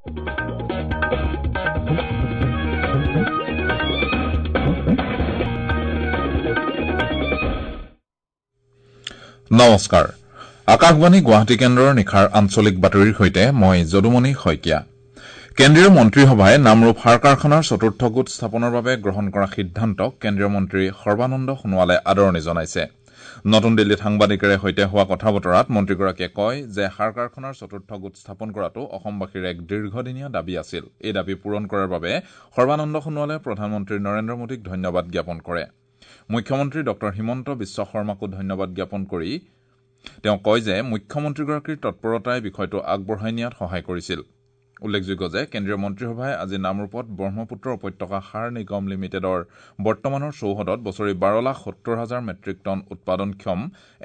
নমস্কাৰ, আকাশবাণী গুৱাহাটী কেন্দ্ৰৰ নিশাৰ আঞ্চলিক বাতৰিৰ সৈতে মই যদুমণি শইকীয়া। কেন্দ্ৰীয় মন্ত্ৰীসভাই নামৰূপ সাৰ কাৰখানাৰ চতুৰ্থ গোট স্থাপনৰ বাবে গ্ৰহণ কৰা সিদ্ধান্তক কেন্দ্ৰীয় মন্ত্ৰী সৰ্বানন্দ সোণোৱালে আদৰণি জনাইছে। নতুন দিল্লীত সাংবাদিকেৰে সৈতে হোৱা কথা বতৰাত মন্ত্ৰীগৰাকীয়ে কয় যে সাৰ কাৰখানাৰ চতুৰ্থ গোট স্থাপন কৰাটো অসমবাসীৰ এক দীৰ্ঘদিনীয়া দাবী আছিল। এই দাবী পূৰণ কৰাৰ বাবে সৰ্বানন্দ সোণোৱালে প্ৰধানমন্ত্ৰী নৰেন্দ্ৰ মোদীক ধন্যবাদ জ্ঞাপন কৰে। মুখ্যমন্ত্ৰী ডঃ হিমন্ত বিশ্ব শৰ্মাকো ধন্যবাদ জ্ঞাপন কৰি তেওঁ কয় যে মুখ্যমন্ত্ৰীগৰাকীৰ তৎপৰতাই বিষয়টো আগবঢ়াই নিয়াত সহায় কৰিছিল। উল্লেখযোগ্য যে কেন্দ্ৰীয় মন্ত্ৰীসভাই আজি নামৰূপত ব্ৰহ্মপুত্ৰ উপত্যকা সাৰ নিগম লিমিটেডৰ বৰ্তমানৰ চৌহদত বছৰি 12,70,000 মেট্ৰিক টন উৎপাদনক্ষম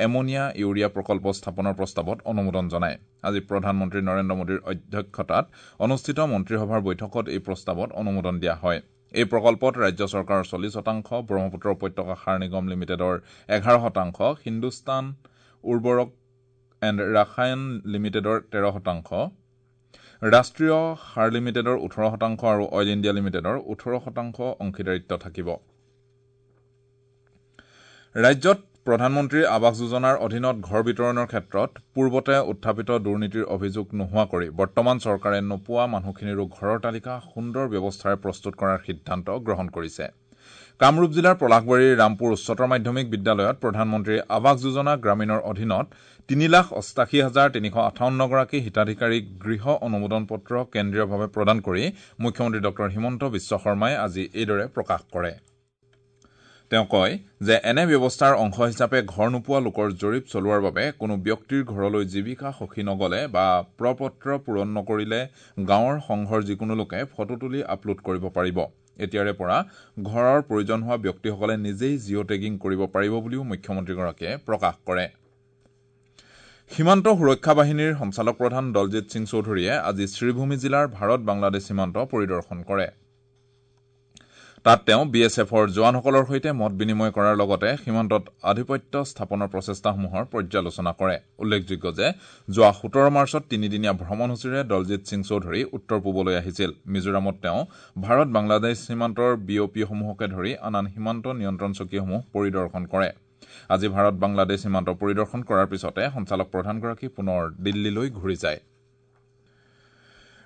এমনিয়া ইউৰিয়া প্ৰকল্প স্থাপনৰ প্ৰস্তাৱত অনুমোদন জনায়। আজি প্ৰধানমন্ত্ৰী নৰেন্দ্ৰ মোদীৰ অধ্যক্ষতাত অনুষ্ঠিত মন্ত্ৰীসভাৰ বৈঠকত এই প্ৰস্তাৱত অনুমোদন দিয়া হয়। এই প্ৰকল্পত ৰাজ্য চৰকাৰৰ 40%, ব্ৰহ্মপুত্ৰ উপত্যকা সাৰ নিগম লিমিটেডৰ 11%, হিন্দুস্তান উৰ্বৰক এণ্ড ৰাসায়ন লিমিটেডৰ 13%, ৰাষ্ট্ৰীয় সাৰ লিমিটেডৰ 18% আৰু অইল ইণ্ডিয়া লিমিটেডৰ 18% অংশীদাৰিত্ব থাকিব। ৰাজ্যত প্ৰধানমন্ত্ৰীৰ আৱাস যোজনাৰ অধীনত ঘৰ বিতৰণৰ ক্ষেত্ৰত পূৰ্বতে উত্থাপিত দুৰ্নীতিৰ অভিযোগ নোহোৱা কৰি বৰ্তমান চৰকাৰে নোপোৱা মানুহখিনিৰো ঘৰৰ তালিকা সুন্দৰ ব্যৱস্থাৰে প্ৰস্তুত কৰাৰ সিদ্ধান্ত গ্ৰহণ কৰিছে। কামৰূপ জিলাৰ পলাশবাৰীৰ ৰামপুৰ উচ্চতৰ মাধ্যমিক বিদ্যালয়ত প্ৰধানমন্ত্ৰীৰ আৱাস যোজনা গ্ৰামীণৰ অধীনত 3,88,358 গৰাকী হিতাধিকাৰীক গৃহ অনুমোদন পত্ৰ কেন্দ্ৰীয়ভাৱে প্ৰদান কৰি মুখ্যমন্ত্ৰী ডঃ হিমন্ত বিশ্ব শৰ্মাই আজি এইদৰে প্ৰকাশ কৰে। তেওঁ কয় যে এনে ব্যৱস্থাৰ অংশ হিচাপে ঘৰ নোপোৱা লোকৰ জৰীপ চলোৱাৰ বাবে কোনো ব্যক্তিৰ ঘৰলৈ জীৱিকা সখী নগ'লে বা প্ৰপত্ৰ পূৰণ নকৰিলে গাঁৱৰ সংঘৰ যিকোনো লোকে ফটো তুলি আপলোড কৰিব পাৰিব। এতিয়াৰে পৰা ঘৰৰ প্ৰয়োজন হোৱা ব্যক্তিসকলে নিজেই জিঅ' টেগিং কৰিব পাৰিব বুলিও মুখ্যমন্ত্ৰীগৰাকীয়ে প্ৰকাশ কৰে। সীমান্ত সুৰক্ষা বাহিনীৰ সঞ্চালক প্ৰধান দলজিৎ সিং চৌধুৰীয়ে আজি শ্ৰীভূমি জিলাৰ ভাৰত বাংলাদেশ সীমান্ত পৰিদৰ্শন কৰে। তাত তেওঁ বি এছ এফৰ জোৱানসকলৰ সৈতে মত বিনিময় কৰাৰ লগতে সীমান্তত আধিপত্য স্থাপনৰ প্ৰচেষ্টাসমূহৰ পৰ্যালোচনা কৰে। উল্লেখযোগ্য যে যোৱা 17 মাৰ্চত তিনিদিনীয়া ভ্ৰমণসূচীৰে দলজিৎ সিং চৌধুৰী উত্তৰ পূবলৈ আহিছিল। মিজোৰামত তেওঁ ভাৰত বাংলাদেশ সীমান্তৰ বি অ' পিসমূহকে ধৰি আন আন সীমান্ত নিয়ন্ত্ৰণ চকীসমূহ পৰিদৰ্শন কৰে। আজি ভাৰত বাংলাদেশ সীমান্ত পৰিদৰ্শন কৰাৰ পিছতে সঞ্চালক প্ৰধানগৰাকী পুনৰ দিল্লীলৈ ঘূৰি যায়।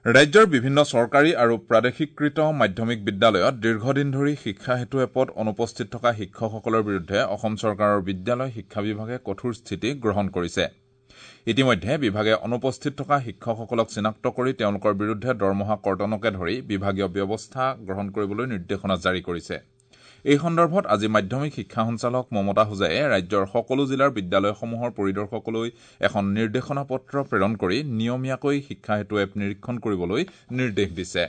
ৰাজ্যৰ বিভিন্ন চৰকাৰী আৰু প্ৰাদেশিকৃত মাধ্যমিক বিদ্যালয়ত দীৰ্ঘদিন ধৰি শিক্ষা সেতু এপত অনুপস্থিত থকা শিক্ষকসকলৰ বিৰুদ্ধে অসম চৰকাৰৰ বিদ্যালয় শিক্ষা বিভাগে কঠোৰ স্থিতি গ্ৰহণ কৰিছে। ইতিমধ্যে বিভাগে অনুপস্থিত থকা শিক্ষকসকলক চিনাক্ত কৰি তেওঁলোকৰ বিৰুদ্ধে দৰমহা কৰ্তনকে ধৰি বিভাগীয় ব্যৱস্থা গ্ৰহণ কৰিবলৈ নিৰ্দেশনা জাৰি কৰিছে। এই সন্দৰ্ভত আজি মাধ্যমিক শিক্ষা সঞ্চালক মমতা হোজাইয়ে ৰাজ্যৰ সকলো জিলাৰ বিদ্যালয়সমূহৰ পৰিদৰ্শকলৈ এখন নিৰ্দেশনা পত্ৰ প্ৰেৰণ কৰি নিয়মীয়াকৈ শিক্ষা সেতু এপ নিৰীক্ষণ কৰিবলৈ নিৰ্দেশ দিছে।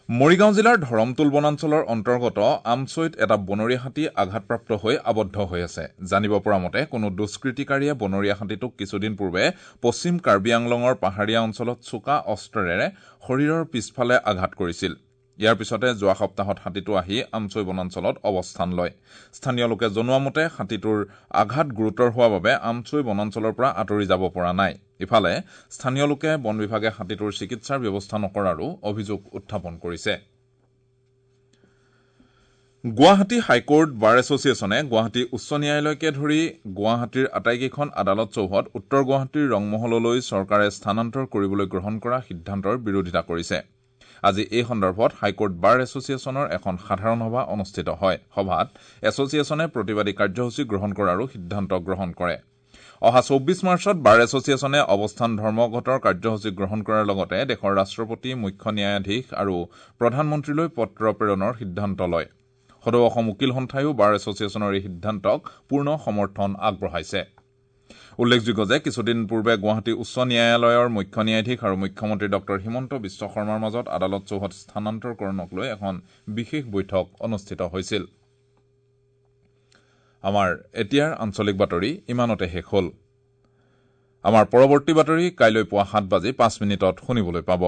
মৰিগাঁও জিলাৰ ধৰমতুল বনাঞ্চলৰ অন্তৰ্গত আমচৈত এটা বনৰীয়া হাতী আঘাতপ্ৰাপ্ত হৈ আবদ্ধ হৈ আছে। জানিব পৰা মতে কোনো দুষ্কৃতিকাৰীয়ে বনৰীয়া হাতীটোক কিছুদিন পূৰ্বে পশ্চিম কাৰ্বি আংলঙৰ পাহাৰীয়া অঞ্চলত চোকা অস্ত্ৰেৰে শৰীৰৰ পিছফালে আঘাত কৰিছিল। ইয়াৰ পিছতে যোৱা সপ্তাহত হাতীটো আহি আমচৈ বনাঞ্চলত অৱস্থান লয়। স্থানীয় লোকে জনোৱা মতে হাতীটোৰ আঘাত গুৰুতৰ হোৱাৰ বাবে আমচৈ বনাঞ্চলৰ পৰা আঁতৰি যাব পৰা নাই। ইফালে স্থানীয় লোকে বন বিভাগে হাতীটোৰ চিকিৎসাৰ ব্যৱস্থা নকৰাৰো অভিযোগ উত্থাপন কৰিছে। গুৱাহাটী হাইকোৰ্ট বাৰ এছ'চিয়েশ্যনে গুৱাহাটী উচ্চ ন্যায়ালয়কে ধৰি গুৱাহাটীৰ আটাইকেইখন আদালত চৌহদ উত্তৰ গুৱাহাটীৰ ৰংমহললৈ চৰকাৰে স্থানান্তৰ কৰিবলৈ গ্ৰহণ কৰা সিদ্ধান্তৰ বিৰোধিতা কৰিছে। আজি এই সন্দৰ্ভত হাইকোৰ্ট বাৰ এছ'চিয়েশ্যনৰ এখন সাধাৰণ সভা অনুষ্ঠিত হয়। সভাত এছ'চিয়েশ্যনে প্ৰতিবাদী কাৰ্যসূচী গ্ৰহণ কৰাৰো সিদ্ধান্ত গ্ৰহণ কৰে। অহা 24 মাৰ্চত বাৰ এছ'চিয়েশ্যনে অৱস্থান ধৰ্মঘটৰ কাৰ্যসূচী গ্ৰহণ কৰাৰ লগতে দেশৰ ৰাষ্ট্ৰপতি, মুখ্য ন্যায়াধীশ আৰু প্ৰধানমন্ত্ৰীলৈ পত্ৰ প্ৰেৰণৰ সিদ্ধান্ত লয়। সদৌ অসম উকীল সন্থায়ো বাৰ এছ'চিয়েশ্যনৰ এই সিদ্ধান্তক পূৰ্ণ সমৰ্থন আগবঢ়াইছে। উল্লেখযোগ্য যে কিছুদিন পূৰ্বে গুৱাহাটী উচ্চ ন্যায়ালয়ৰ মুখ্য ন্যায়াধীশ আৰু মুখ্যমন্ত্ৰী ডঃ হিমন্ত বিশ্ব শৰ্মাৰ মাজত আদালত চৌহদ স্থানান্তৰকৰণক লৈ এখন বিশেষ বৈঠক অনুষ্ঠিত হৈছিল। আমাৰ এতিয়াৰ আঞ্চলিক বাতৰি ইমানতে শেষ হ'ল। আমাৰ পৰৱৰ্তী বাতৰি কাইলৈ পুৱা 7:05 শুনিবলৈ পাব।